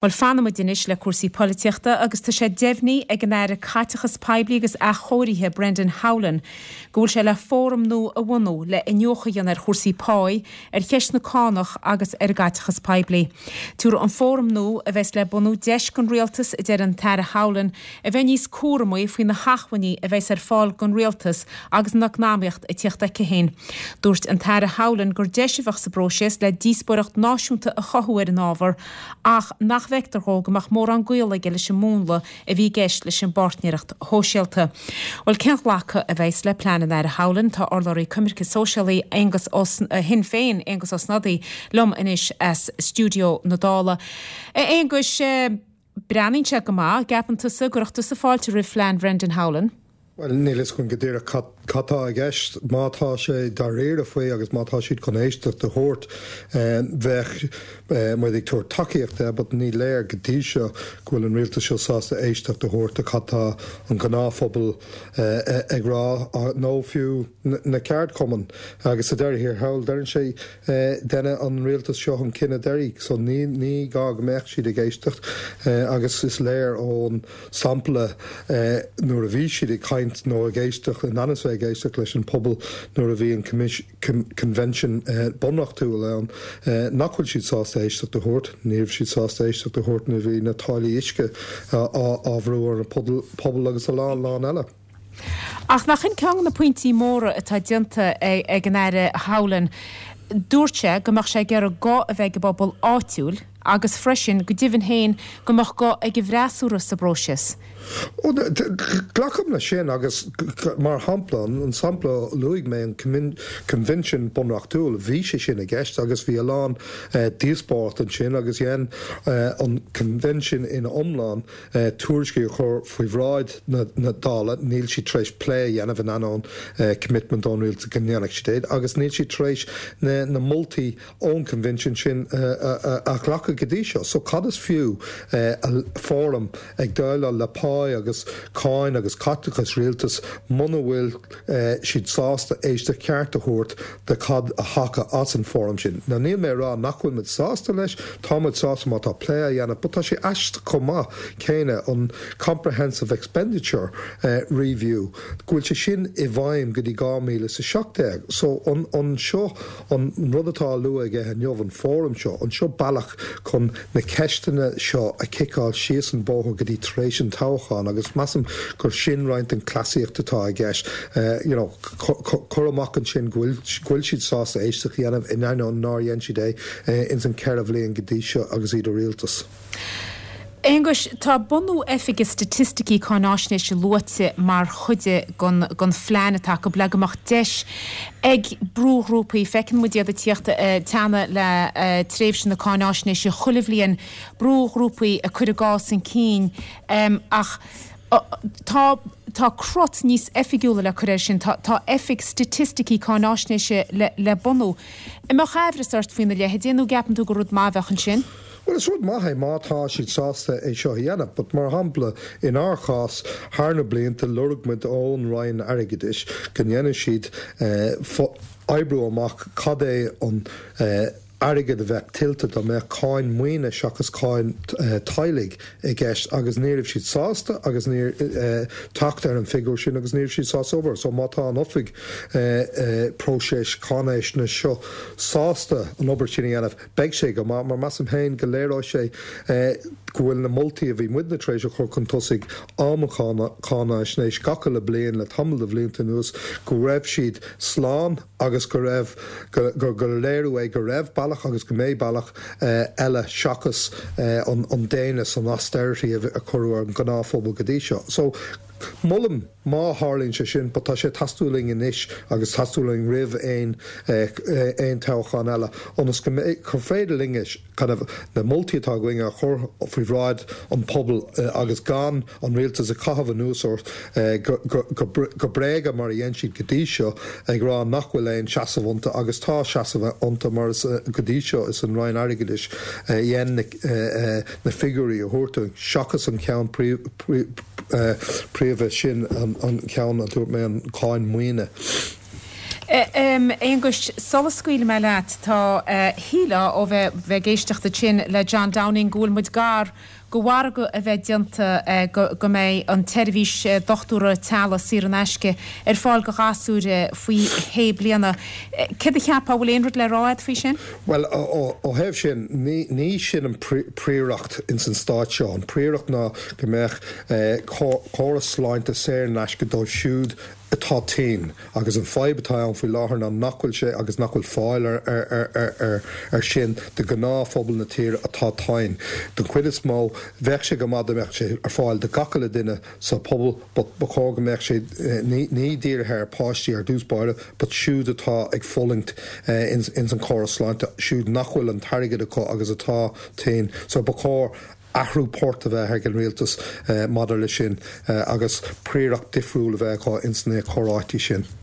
Bhuel, fanfaimid anois le cúrsaí polaitíochta agus tá sé deimhnithe ag an Aire Caiteachas Poiblí agus Athchóirithe, Brendan Howlin, go bhfuil sé le fóram nua a bhunú le iniúchadh a dhéanamh ar chúrsaí páí, ar cheist na cánach agus ar an gcaiteachas poiblí. Tabharfaidh an fóram nua a bheas le bunú deis don Rialtas, a deir an tAire Howlin, a bheith níos cúramaí faoi na hacmhainní a bheas ar fáil don Rialtas agus an eacnamaíocht ag tíocht aici féin. Dúirt an tAire Howlin gur deis a bheadh sa bpróiseas le díospóireacht náisiúnta a chothú ar an ábhar ach nach bhfeictear dhó go mbeadh mórán gaol aige leis an múnla a bhí i gceist leis an bpáirtnéireacht shóisialta. Bhuel, cén ghlacadh a bheas le plean an Aire Howlin? Tá urlabhraí Coimirce Sóisialaí Aengus Ó Shinn Féin, Aengus Ó Snodaigh, liom anois as stiúideo na Dála. A Aonghuis, Breathnaíonn sé go maith. An gceapann tusa go gcuirfeadh tusa fáilte roimh phlean Bhrendan Howlin? Bhuel, níl fhios agam go díreach cad cad tá i gceist. Má tá sé dáiríre faoi agus má tá siad chun éisteacht a thabhairt, bheadh muid ag tabhairt tacaíocht de, but ní léir go dtí seo go bhfuil an rialtas seo sásta éisteacht a thabhairt do cad tá an gnáthphobal ag rá, nó fiú na ceardchumainn. Agus sa deireadh thiar thall, deireann sé Deineadh an rialtas seo an cinneadh deiridh so ní ní gá go mbeadh siad ag éisteacht agus is léir ón sampla nuair a bhí siad ag caint nó ag éisteacht, in ainm is bheith ag éisteacht leis an pobal nuair a bhí an Convention Bunreachtúil ann nach bhfuil siad sásta éisteacht a thabhairt. Ní raibh siad sásta éisteacht a thabhairt nuair a bhí na táillí uisce á bhrú ar an pobal agus a lán lán eile. Ach nach in ceann de na pointí móra atá déanta ag an Aire Howlin? Dúirt sé go mbeadh sé ag iarraidh guth a bheith ag an bpobal áitiúil agus freisin, go deimhin féin, go mbeadh guth ag an bhfreasúra sa bpróiseas. Ó, glacaim leis sin agus mar shampla, an sampla a luaigh mé, an Coinbhinsiún Bunreachtúil, bhí sé sin i gceist agus bhí a lán díospóireacht ansin agus dhein an Coinbhinsiún ina iomlán tuairiscí a chur faoi bhráid na Dála, níl siad tar éis plé a dhéanamh in ainneoin commitment ón rialtas go ndéanfadh siad é, agus níl siad tar éis na moltaí ón Convention sin a ghlacadh go dtí seo. So cad is fiú fóram ag déileáil le pá agus cáin agus caiteachas rialtais muna bhfuil siad sásta éisteacht ceart a thabhairt de cad a thiocfadh as an fóram sin. Now níl mé ag rá nach bhfuil muid sásta leis, tá muid sásta má tá plé á dhéanamh, but tá sé aisteach chomh maith céanna an Comprehensive Expenditure Review, go bhfuil sé sin i bhfeidhm go dtí 2017. So an an seo an rud atá á lua aige inniu, an fóram seo, an seo bealach chun na ceisteanna seo a chiceáil síos an bóthar go dtí tar éis an toghcháin agus measaim gur sin roinnt den chleasaíocht atá i gceist. You know, cur amach ansin go bhfuil siad sásta éisteacht a dhéanamh in ainneoin nár dhein siad é ins an 4 bhliain go dtí seo agus iad i rialtas. Aonghuis, tá bunú Oifige Staitisticí Cáináisnéise luaite mar chuid den phlean atá acu le go mbeadh deis ag brúghrúpaí, feiceann muid iad ag tíocht ag teannadh le tréimhse na cáináisnéise chuile bhliain, brúghrúpaí ag cur a gcás chun cinn ach tá tá crot níos oifigiúla le cur air sin, tá tá Oifig Staitisticí Cáináisnéise le le bunú. An mbeadh aimhreas ort faoina leithéid nó gceapann tú gur rud maith a bheadh ansin? Bhuel, is rud maith é má tá siad sásta é seo a dhéanamh, but mar shampla, inár chás, thar na blianta, lorg muid ón Roinn Airgeadais go ndéanadh siad oibriú amach cad é an airgead a bheadh tuillte dá mbeadh cáin maoine seachas cáin teaghlaigh i gceist agus ní raibh siad sásta agus níor teacht ar an figiúr sin agus ní raibh siad sásta obair. So má tá an oifig próiseas cáinaisnéise seo sásta an obair sin a dhéanamh, Beidh sé go maith, mar measaim féin go léireoidh sé go bhfuil na moltaí a bhí muidne tar éis a chur chun tosaigh um an cháinaisnéis gach uile bliain le tamall de bhlianta anuas, go raibh siad slán agus go raibh, gur léiriú é go raibh bealach agus go mbeidh bealach eile seachas an déine, an austerity a cuireadh ar an ngnáthphobal go dtí seo. So, molaim má tharlaíonn sé sin, but tá sé ag teastáil uainn anois agus teastáil uainn roimh aon aon toghchán eile ionas go mbeidh, gur féidir linn kind of na moltaí atá againn a chur faoi bhráid an pobail agus gan an rialtas ag caitheamh anuas ort go go go bréagach mar a dhein siad go dtí seo ag rá nach bhfuil aon seasamh iontu agus tá seasamh iontu mar is go dtí seo is an Roinn Airgeadais a dhein na na figiúirí a thabhairt dúinn seachas an ceann príomha sin, an ceann a dúirt mé, an cáin maoine. A Aonghuis, sula scaoilfidh mé leat, tá, shílfeá ó bheith ag éisteacht ansin le John Downing go bhfuil muid gar go mhargadh a bheith déanta go mbeidh an tseirbhís dochtúra teaghlaigh saor in aisce ar fáil do ghasúir faoi shé bliana. Céard a cheapfá, bhfuil aon rud le rá agat faoi sin? Bhuel, ó thaobh sin, ní sin an príoracht ins an stát seo. An príoracht ná go mbeadh córas sláinte saor in aisce dóibh siúd atá tinn agus an fadhb atá ann faoi láthair ná nach bhfuil sé agus nach bhfuil fáil ar sin do ghnáthphobal na tíre atá tinn. Don chuid is mó, bheadh sé go maith dá mbeadh sé ar fáil do gach uile duine sa phobal but ba chóir go mbeadh sé ní dírithe ar páistí ar dtús báire but siúd atá ag fulaingt ins an chóras sláinte, siúd nach bhfuil an t-airgead acu agus atá tinn. So ba chóir athrú poirt a bheith ag an rialtas maidir leis sin agus príoracht difriúil a bheith acu ins na comhráití sin.